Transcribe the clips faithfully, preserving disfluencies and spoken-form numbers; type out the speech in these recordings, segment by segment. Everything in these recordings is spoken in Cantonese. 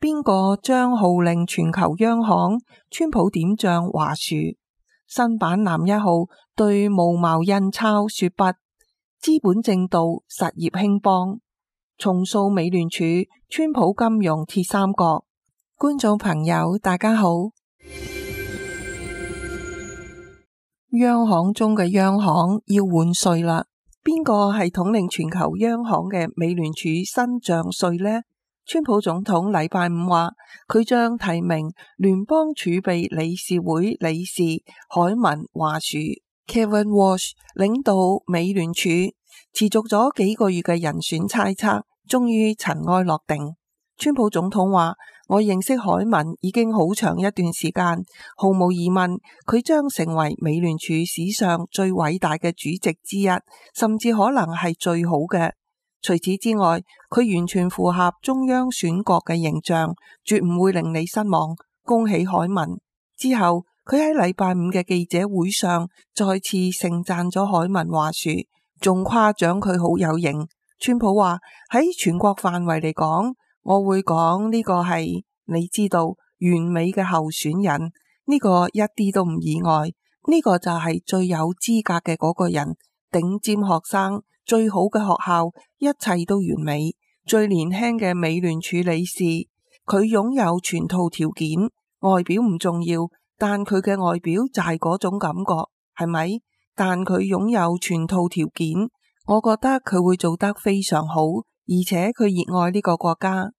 邊個將號令全球央行？川普點賬華樹。新版男一號對無茅印鈔說不。資本正道，實業興邦。重塑美聯儲，川普金融鐵三角。觀眾朋友大家好。央行中嘅央行要換帥啦，邊個係統領全球央行嘅美聯儲新將帥呢？川普總統禮拜五話，佢將提名聯邦儲備理事會理事凱文華樹 Kevin Warsh 領導美聯儲。持續咗幾個月嘅人選猜測，終於塵埃落定。川普總統話，我認識凱文已經好長一段時間，毫無疑問，佢將成為美聯儲史上最偉大嘅主席之一，甚至可能係最好嘅。除此之外，佢完全符合中央選角嘅形象，絕唔會令你失望。恭喜凱文。之後，佢喺禮拜五嘅記者會上再次盛讚咗凱文華樹，仲誇獎佢好有型。川普話，喺全國範圍嚟講，我會講呢個係你知道完美嘅候選人，呢個一啲都唔意外。呢個就係最有資格嘅嗰個人，頂尖學生，最好嘅學校，一切都完美。最年輕嘅美聯儲理事，佢擁有全套條件，外表唔重要，但佢嘅外表就係嗰種感覺，係咪？但佢擁有全套條件，我覺得佢會做得非常好，而且佢熱愛呢個國家。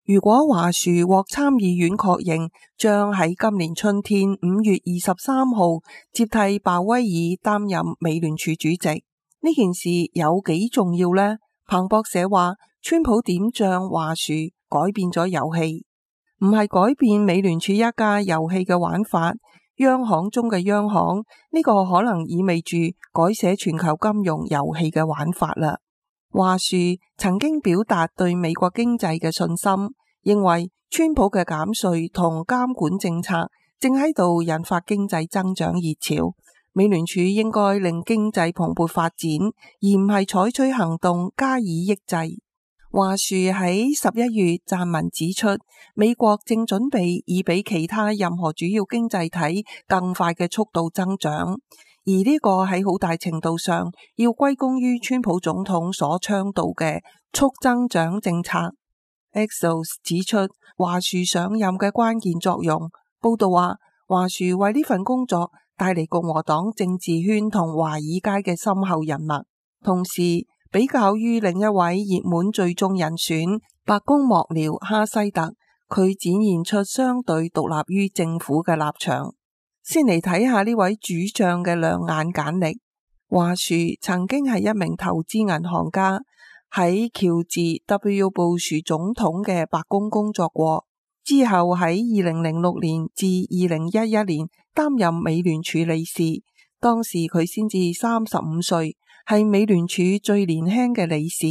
如果華樹獲參議院確認，將喺今年春天五月二十三號接替鮑威爾擔任美聯儲主席。呢件事有幾重要呢？彭博社話，川普點將華樹改變咗遊戲，唔係改變美聯儲一家遊戲嘅玩法。央行中嘅央行，呢個可能意味住改寫全球金融遊戲嘅玩法啦。華樹曾經表達對美國經濟嘅信心，認為川普嘅減稅同監管政策正喺度引發經濟增長熱潮，美聯儲應該令經濟蓬勃發展，而唔係採取行動加以抑制。華樹喺十一月撰文指出，美國正準備以比其他任何主要經濟體更快嘅速度增長，而呢個喺好大程度上要歸功於川普總統所倡導嘅促增長政策。Axios 指出華樹上任嘅關鍵作用。報道話，華樹為呢份工作帶嚟共和黨政治圈同華爾街嘅深厚人脈，同時比較於另一位熱門最終人選白宮幕僚哈西特，佢展現出相對獨立於政府嘅立場。先嚟睇下呢位主將嘅亮眼簡歷。華樹曾經係一名投資銀行家，喺喬治 W 布殊總統嘅白宮工作過，之後喺二零零六年至二零一一年擔任美聯儲理事，當時佢先至三十五歲。係美聯儲最年輕嘅理事。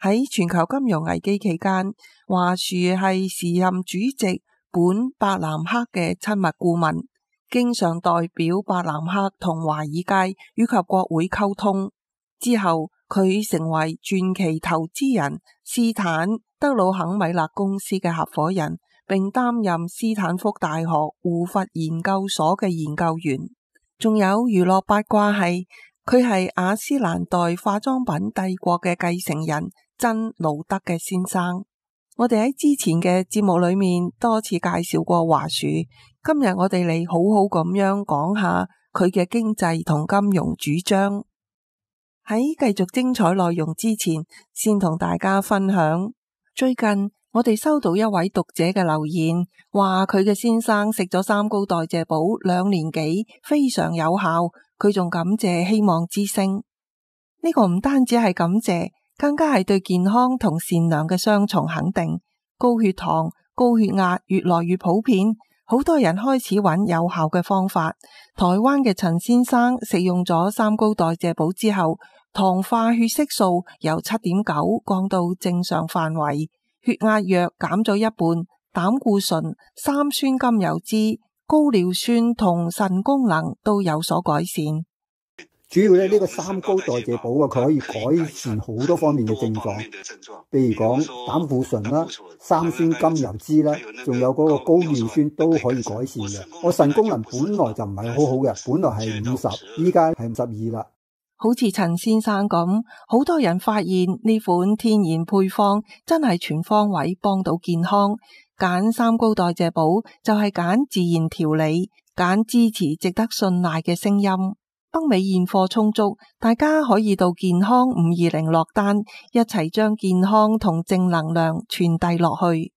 喺全球金融危機期間，華樹係時任主席本伯南克嘅親密顧問，經常代表伯南克同華爾街以及國會溝通。之後佢成為傳奇投資人斯坦德魯肯米勒公司嘅合夥人，並擔任斯坦福大學胡佛研究所嘅研究員。仲有娛樂八卦係，佢係雅詩蘭黛化妝品帝國嘅繼承人珍盧德嘅先生。我哋喺之前嘅節目裏面多次介紹過華樹，今日我哋嚟好好咁樣講下佢嘅經濟同金融主張。喺繼續精彩內容之前，先同大家分享，最近我哋收到一位讀者嘅留言，話佢嘅先生食咗三高代謝寶兩年幾，非常有效。佢仲感謝希望之聲，呢個唔單止係感謝，更加係對健康同善良嘅雙重肯定。高血糖、高血壓越來越普遍，好多人開始揾有效嘅方法。台灣嘅陳先生食用咗三高代謝寶之後，糖化血色素由七點九降到正常範圍，血壓藥減咗一半，膽固醇、三酸甘油酯、高尿酸同腎功能都有所改善。主要咧呢個三高代謝寶啊，佢可以改善好多方面嘅症狀，譬如講膽固醇啦、三酸甘油酯啦，仲有嗰個高尿酸都可以改善嘅。我腎功能本來就唔係好好嘅，本來係五十，依家係五十二啦。好似陳先生咁，好多人發現呢款天然配方真係全方位幫到健康。揀三高代謝寶就係揀自然調理，揀支持值得信賴嘅聲音。北美現貨充足，大家可以到健康五二零落單，一齊將健康同正能量傳遞落去。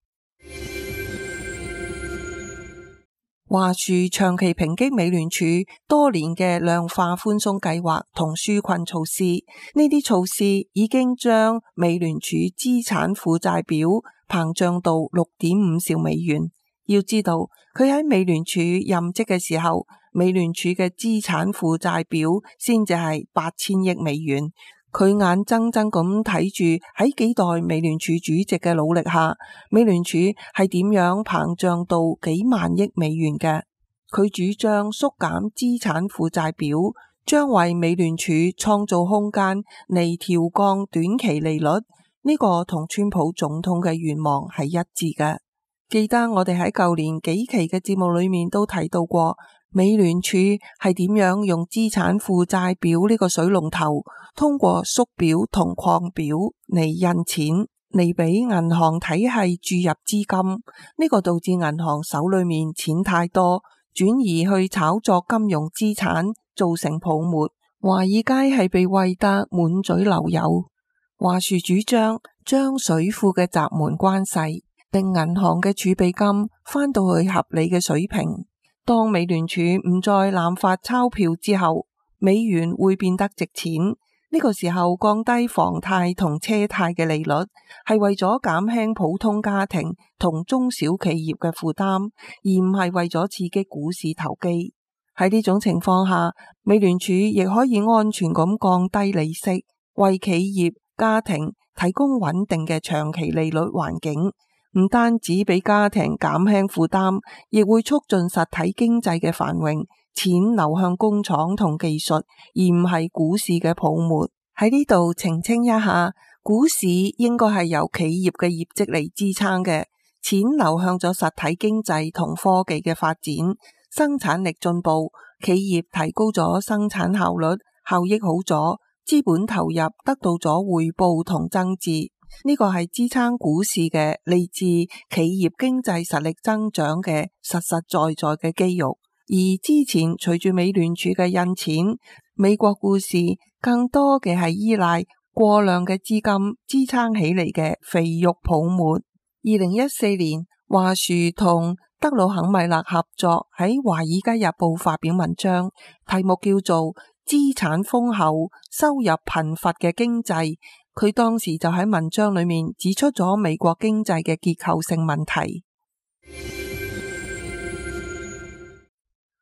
華樹長期抨擊美聯儲多年嘅量化寬鬆計劃同紓困措施，呢啲措施已經將美聯儲資產負債表膨脹到六點五兆美元。要知道，佢喺美聯儲任職嘅時候，美聯儲嘅資產負債表先至係八千億美元。佢眼睜睜咁睇住喺幾代美聯儲主席嘅努力下，美聯儲係點樣膨脹到幾萬億美元嘅。佢主張縮減資產負債表，將為美聯儲創造空間嚟調降短期利率。呢個同川普總統嘅願望係一致嘅。記得我哋喺舊年幾期嘅節目裏面都提到過，美聯儲係點樣用資產負債表呢個水龍頭，通過縮表同擴表嚟印錢，嚟俾銀行體系注入資金。呢個導致銀行手裏面錢太多，轉移去炒作金融資產，造成泡沫。華爾街係被餵得滿嘴流油。華樹主張將水庫嘅閘門關細，令銀行嘅儲備金返到去合理嘅水平。當美聯儲唔再濫發鈔票之後，美元會變得值錢。呢個時候降低房貸同車貸嘅利率，係為咗減輕普通家庭同中小企業嘅負擔，而唔係為咗刺激股市投機。喺呢種情況下，美聯儲亦可以安全咁降低利息，為企業、家庭提供穩定嘅長期利率環境。唔單止俾家庭減輕負擔，亦會促進實體經濟嘅繁榮，錢流向工廠同技術，而唔係股市嘅泡沫。喺呢度澄清一下，股市應該係由企業嘅業績嚟支撐嘅，錢流向咗實體經濟同科技嘅發展，生產力進步，企業提高咗生產效率，效益好咗，資本投入得到咗回報同增值。呢個係支撐股市嘅嚟自企業經濟實力增長嘅實實在在嘅肌肉，而之前隨住美聯儲嘅印錢，美國股市更多嘅係依賴過量嘅資金支撐起嚟嘅肥肉泡沫。二零一四年，華樹同德魯肯米勒合作喺《華爾街日報》發表文章，題目叫做《資產豐厚、收入貧乏嘅經濟》。佢當時就喺文章裏面指出咗美國經濟嘅結構性問題。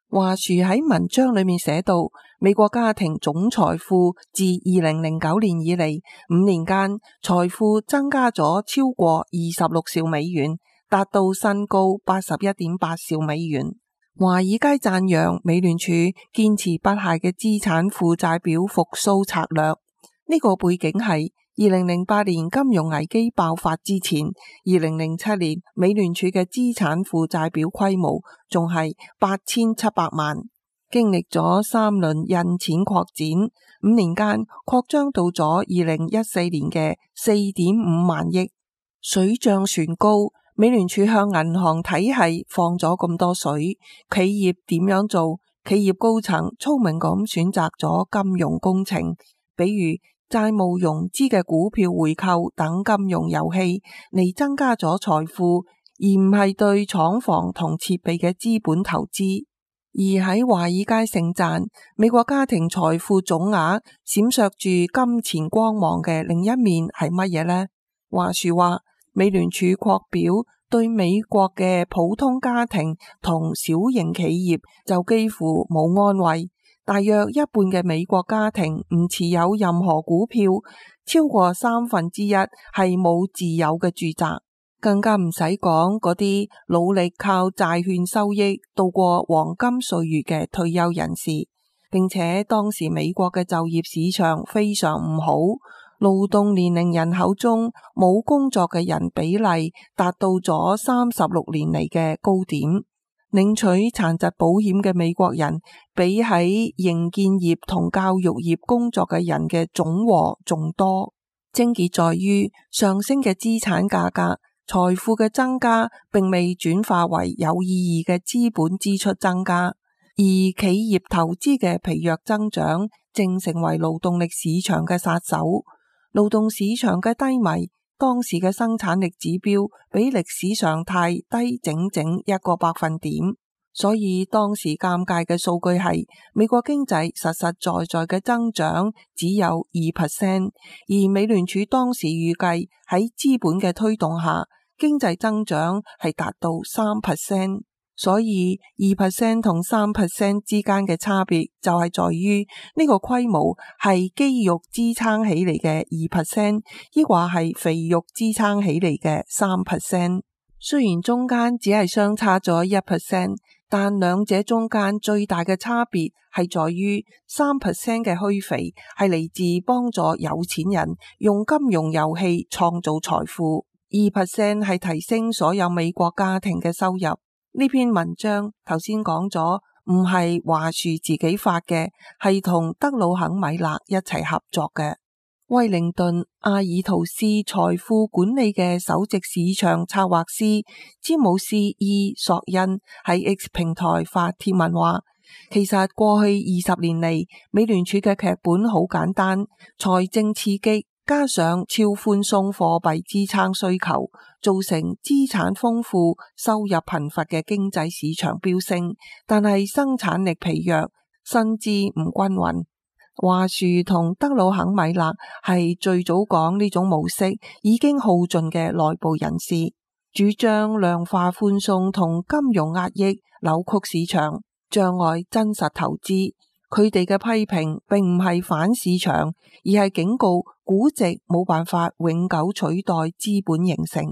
華樹喺文章裏面寫到，美國家庭總財富自二零零九年以嚟五年間，財富增加咗超過二十六兆美元，達到新高八十一點八兆美元。華爾街讚揚美聯儲堅持不懈嘅資產負債表復甦策略。呢個背景係二零零八年金融危機爆發之前，二零零七年美聯儲嘅資產負債表規模仲係八千七百萬，經歷咗三輪印錢擴展，五年間擴張到咗二零一四年嘅四點五萬億，水漲船高。美聯儲向銀行體系放咗咁多水，企業點樣做？企業高層聰明咁選擇咗金融工程，比如債務融資嘅股票回購等金融遊戲嚟增加咗財富，而唔係對廠房同設備嘅資本投資。而喺華爾街盛讚美國家庭財富總額閃爍住金錢光芒嘅另一面係乜嘢呢？華樹話，美聯儲擴表對美國嘅普通家庭同小型企業就幾乎冇安慰。大約一半嘅美國家庭唔持有任何股票，超過三分之一係冇自有嘅住宅，更加唔使講嗰啲努力靠債券收益度過黃金歲月嘅退休人士。並且當時美國嘅就業市場非常唔好，勞動年齡人口中冇工作嘅人比例達到咗三十六年嚟嘅高點，領取殘疾保險嘅美國人比喺營建業同教育業工作嘅人嘅總和仲多。症結在於上升嘅資產價格，財富嘅增加並未轉化為有意義嘅資本支出增加，而企業投資嘅疲弱增長正成為勞動力市場嘅殺手。勞動市場嘅低迷，當時嘅生產力指標比歷史常態低整整一個百分點。所以當時尷尬嘅數據係美國經濟實實在在嘅增長只有二 percent， 而美聯儲當時預計喺資本嘅推動下，經濟增長係達到三 percent。所以二 percent 同三 percent 之間嘅差別就係在於呢個規模係肌肉支撐起嚟嘅二 percent， 抑或係肥肉支撐起嚟嘅三 percent。雖然中間只係相差咗一 percent， 但兩者中間最大嘅差別係在於三 percent 嘅虛肥係嚟自幫助有錢人用金融遊戲創造財富，二 percent 係提升所有美國家庭嘅收入。呢篇文章頭先講咗，唔係華樹自己發嘅，係同德魯肯米勒一齊合作嘅。威靈頓阿爾圖斯財富管理嘅首席市場策劃師詹姆斯 E 索恩喺 X 平台發帖文話，其實過去二十年嚟，美聯儲嘅劇本好簡單，財政刺激加上超寬鬆貨幣支撐需求，造成資產豐富、收入貧乏嘅經濟市場飆升，但係生產力疲弱，薪資唔均勻。華樹同德魯肯米勒係最早講呢種模式已經耗盡嘅內部人士，主張量化寬鬆同金融壓抑扭曲市場，障礙真實投資。佢哋嘅批評並唔係反市場，而係警告估值冇辦法永久取代資本形成。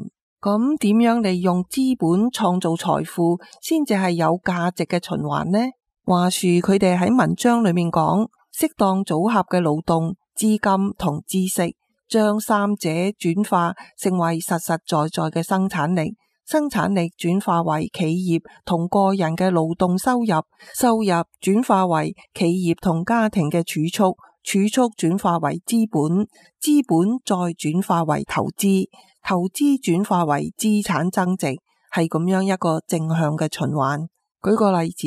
咁點樣利用資本創造財富先至係有價值嘅循環呢？華樹佢哋喺文章裏面講，適當組合嘅勞動、資金同知識，將三者轉化成為實實在在嘅生產力。生產力轉化為企業同個人嘅勞動收入，收入轉化為企業同家庭嘅儲蓄，儲蓄轉化為資本，資本再轉化為投資，投資轉化為資產增值，係咁樣一個正向嘅循環。舉個例子，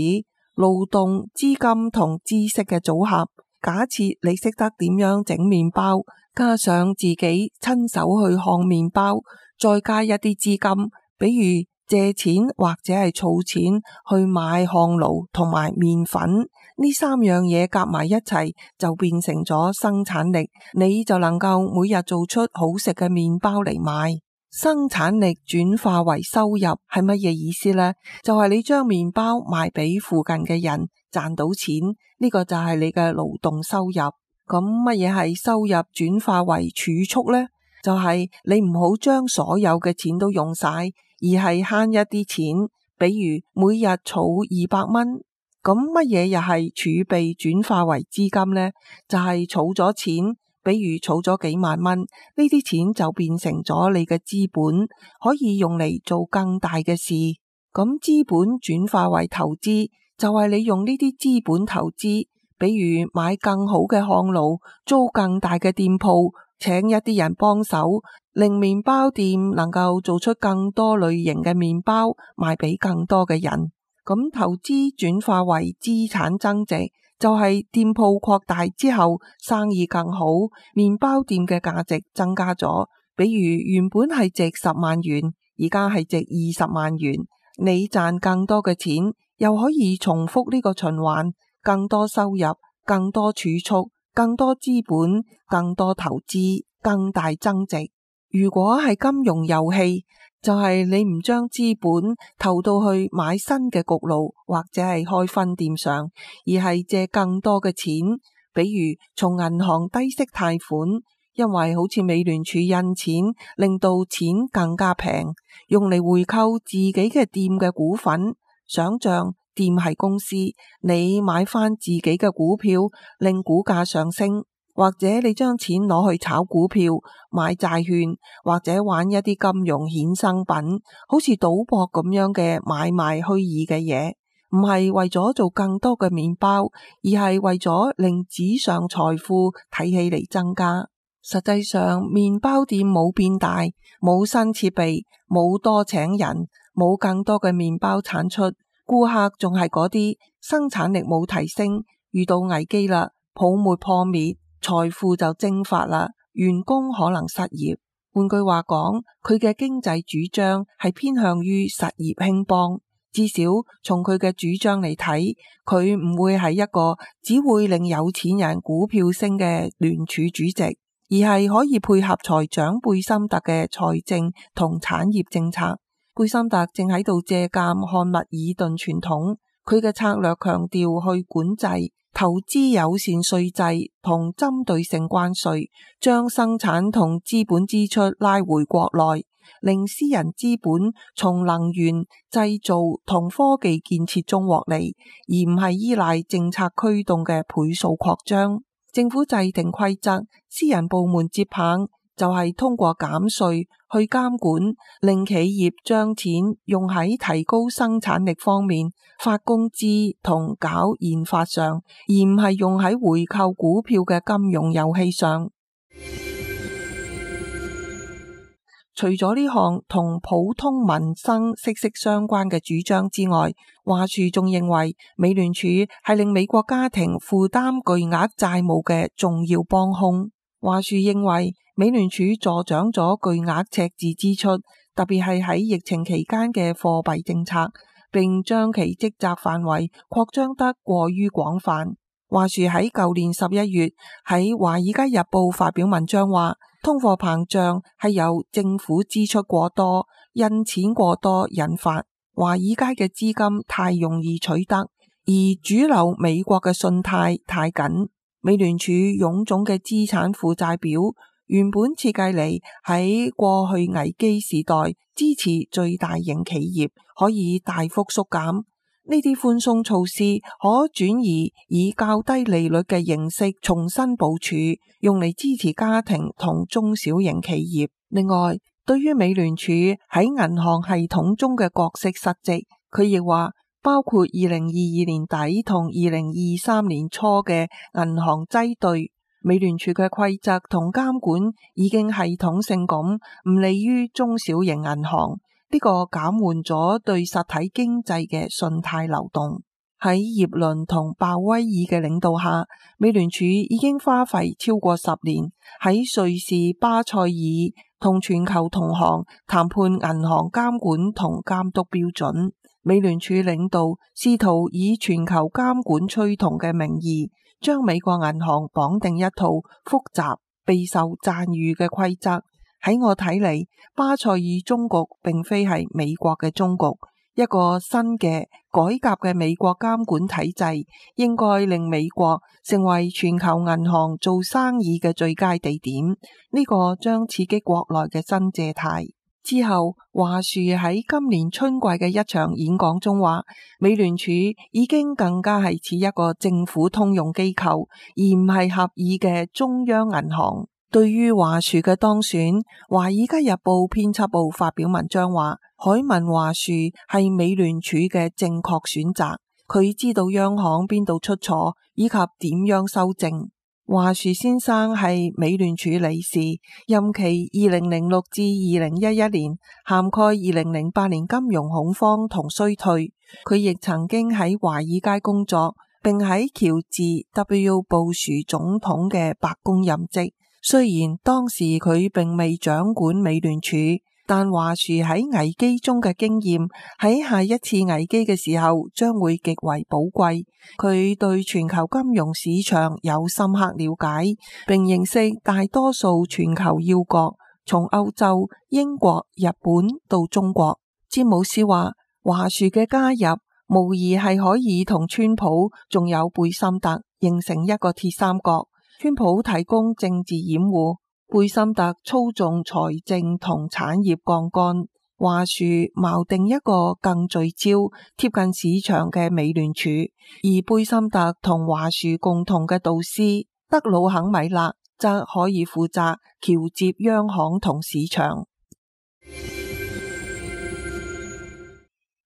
勞動、資金同知識嘅組合，假設你識得點樣整麵包，加上自己親手去烘麵包，再加一啲資金，比如借錢或者係儲錢去買烘爐同埋麵粉，呢三樣嘢夾埋一齊就變成咗生產力，你就能夠每日做出好食嘅麵包嚟賣。生產力轉化為收入係乜嘢意思呢？就係你將麵包賣俾附近嘅人，賺到錢，呢個就係你嘅勞動收入。咁乜嘢係收入轉化為儲蓄呢？就係你唔好將所有嘅錢都用晒，而係慳一啲錢，比如每日儲二百蚊。咁乜嘢又係儲備轉化為資金呢？就係儲咗錢，比如儲咗幾萬蚊，呢啲錢就變成咗你嘅資本，可以用嚟做更大嘅事。咁資本轉化為投資，就係你用呢啲資本投資，比如買更好嘅烘爐，租更大嘅店鋪，請一啲人幫手，令麵包店能夠做出更多類型嘅麵包，賣俾更多嘅人。咁投資轉化為資產增值，就係店鋪擴大之後，生意更好，麵包店嘅價值增加咗。比如原本係值十萬元，而家係值二十萬元，你賺更多嘅錢，又可以重複呢個循環，更多收入，更多儲蓄，更多資本，更多投資，更大增值。如果係金融遊戲，就係你唔將資本投到去買新嘅焗爐或者係開分店上，而係借更多嘅錢，比如從銀行低息貸款，因為好似美聯儲印錢，令到錢更加平，用嚟回購自己嘅店嘅股份。想象店係公司，你買翻自己嘅股票令股價上升，或者你將錢攞去炒股票、買債券，或者玩一啲金融衍生品，好似賭博咁樣嘅買賣虛擬嘅嘢，唔係為咗做更多嘅麵包，而係為咗令紙上財富睇起嚟增加。實際上，麵包店冇變大，冇新設備，冇多請人，冇更多嘅麵包產出，顧客仲係嗰啲，生產力冇提升，遇到危機啦，泡沫破滅，財富就蒸發啦，員工可能失業。換句話講，佢嘅經濟主張係偏向於實業興邦，至少從佢嘅主張嚟睇，佢唔會係一個只會令有錢人股票升嘅聯儲主席，而係可以配合財長貝森特嘅財政同產業政策。貝森特正喺度借鑒漢密爾頓傳統，佢嘅策略強調去管制、投資友善稅制同針對性關稅，將生產同資本支出拉回國內，令私人資本從能源、製造同科技建設中獲利，而唔係依賴政策驅動嘅倍數擴張。政府制定規則，私人部門接棒，就係通過減稅去監管，令企業將錢用喺提高生產力方面、發工資同搞研發上，而唔係用喺回購股票嘅金融遊戲上。除咗呢項同普通民生息息相關嘅主張之外，華儲仲認為美聯儲係令美國家庭負擔巨額債務嘅重要幫兇。華儲認為美聯儲助長咗巨額赤字支出，特別係喺疫情期間嘅貨幣政策，並將其職責範圍擴張得過於廣泛。華儲喺舊年十一月喺《華爾街日報》發表文章話，通貨膨脹係由政府支出過多、印錢過多引發，華爾街嘅資金太容易取得，而主流美國嘅信貸太緊。美聯儲臃腫嘅資產負債表原本設計嚟喺過去危機時代支持最大型企業，可以大幅縮減。呢啲寬鬆措施可轉移以較低利率嘅形式重新部署，用嚟支持家庭同中小型企業。另外，對於美聯儲喺銀行系統中嘅角色失職，佢亦話包括二零二二年底同二零二三年初嘅銀行擠兌，美聯儲嘅規則同監管已經系統性咁唔利於中小型銀行。呢個減緩咗對實體經濟嘅信貸流動。喺葉倫同鮑威爾嘅領導下，美聯儲已經花費超過十年喺瑞士、巴塞爾同全球同行談判銀行監管同監督標準。美聯儲領導試圖以全球監管趨同嘅名義，將美國銀行綁定一套複雜、備受讚譽嘅規則。喺我睇嚟，巴塞爾終局並非係美國嘅終局，一個新嘅改革嘅美國監管體制應該令美國成為全球銀行做生意嘅最佳地點，呢個將刺激國內嘅新借貸。之後，華儲喺今年春季嘅一場演講中話，美聯儲已經更加係似一個政府通用機構，而唔係合議嘅中央銀行。對於華儲嘅當選，華爾街日報編輯部發表文章話，海文華儲係美聯儲嘅正確選擇，佢知道央行邊度出錯以及點樣修正。華儲先生係美聯儲理事，任期二零零六至二零一一年，涵蓋二零零八年金融恐慌同衰退。佢亦曾經喺華爾街工作，並喺喬治 W 布殊總統嘅白宮任職。雖然當時佢並未掌管美聯儲，但華儲喺危機中嘅經驗喺下一次危機嘅時候將會極為寶貴。佢對全球金融市場有深刻了解，並認識大多數全球要角，從歐洲、英國、日本到中國。詹姆斯話，華儲嘅加入無疑係可以同川普仲有貝森特形成一個鐵三角。川普提供政治掩護，貝森特操縱財政同產業槓桿，華樹錨定一個更聚焦、貼近市場嘅美聯儲，而貝森特同華樹共同嘅導師德魯肯米勒則可以負責橋接央行同市場。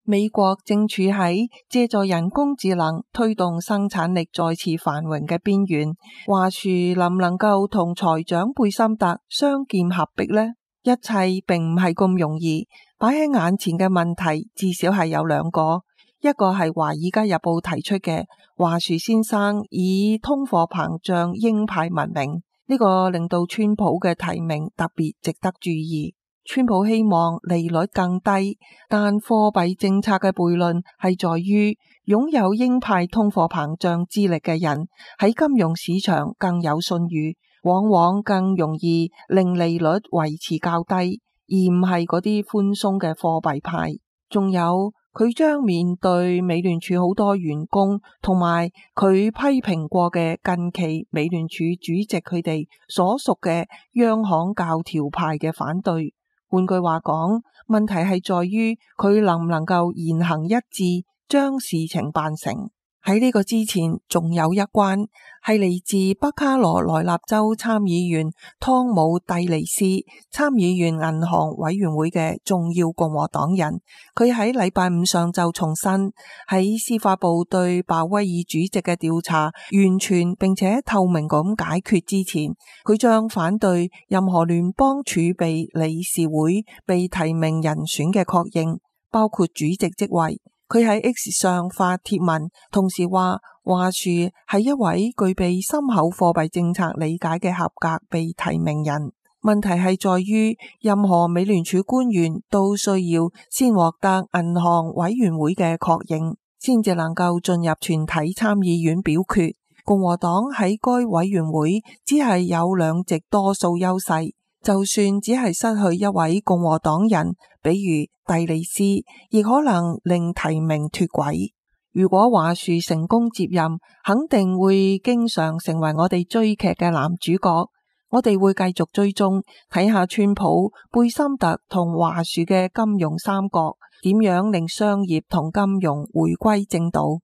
美國正處喺借助人工智能推動生產力再次繁榮嘅邊緣，華樹能唔能夠同財長貝森特雙劍合璧呢？一切並唔係咁容易，擺喺眼前嘅問題至少係有兩個，一個係華爾街日報提出嘅華樹先生以通貨膨脹鷹派聞名，呢個令到川普嘅提名特別值得注意。川普希望利率更低，但貨幣政策嘅悖論係在於擁有鷹派通貨膨脹之力嘅人喺金融市場更有信譽，往往更容易令利率維持較低，而唔係嗰啲寬鬆嘅貨幣派。仲有佢將面對美聯儲好多員工同埋佢批評過嘅近期美聯儲主席佢哋所屬嘅央行教條派嘅反對。換句話講，問題係在於佢能唔能夠言行一致，將事情辦成。喺呢個之前，仲有一關係嚟自北卡羅來納州參議員湯姆蒂尼斯，參議院銀行委員會嘅重要共和黨人。佢喺禮拜五上晝重申，喺司法部對鮑威爾主席嘅調查完全並且透明咁解決之前，佢將反對任何聯邦儲備理事會被提名人選嘅確認，包括主席職位。佢喺 X 上發帖文，同時話華樹係一位具備深厚貨幣政策理解嘅合格被提名人。問題係在於任何美聯儲官員都需要先獲得銀行委員會嘅確認，先至能夠進入全體參議院表決。共和黨喺該委員會只係有兩席多數優勢，就算只係失去一位共和黨人，比如蒂利斯，亦可能令提名脫軌。如果華樹成功接任，肯定會經常成為我哋追劇嘅男主角。我哋會繼續追蹤，睇下川普、貝森特同華樹嘅金融三角點樣令商業同金融回歸正道。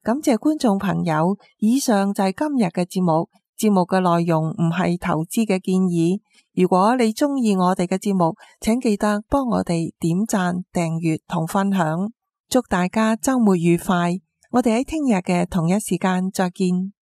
感謝觀眾朋友，以上就係今日嘅節目。節目嘅內容唔係投資嘅建議。如果你鍾意我哋嘅節目，請記得幫我哋點讚、訂閱同分享。祝大家週末愉快！我哋喺聽日嘅同一時間再見。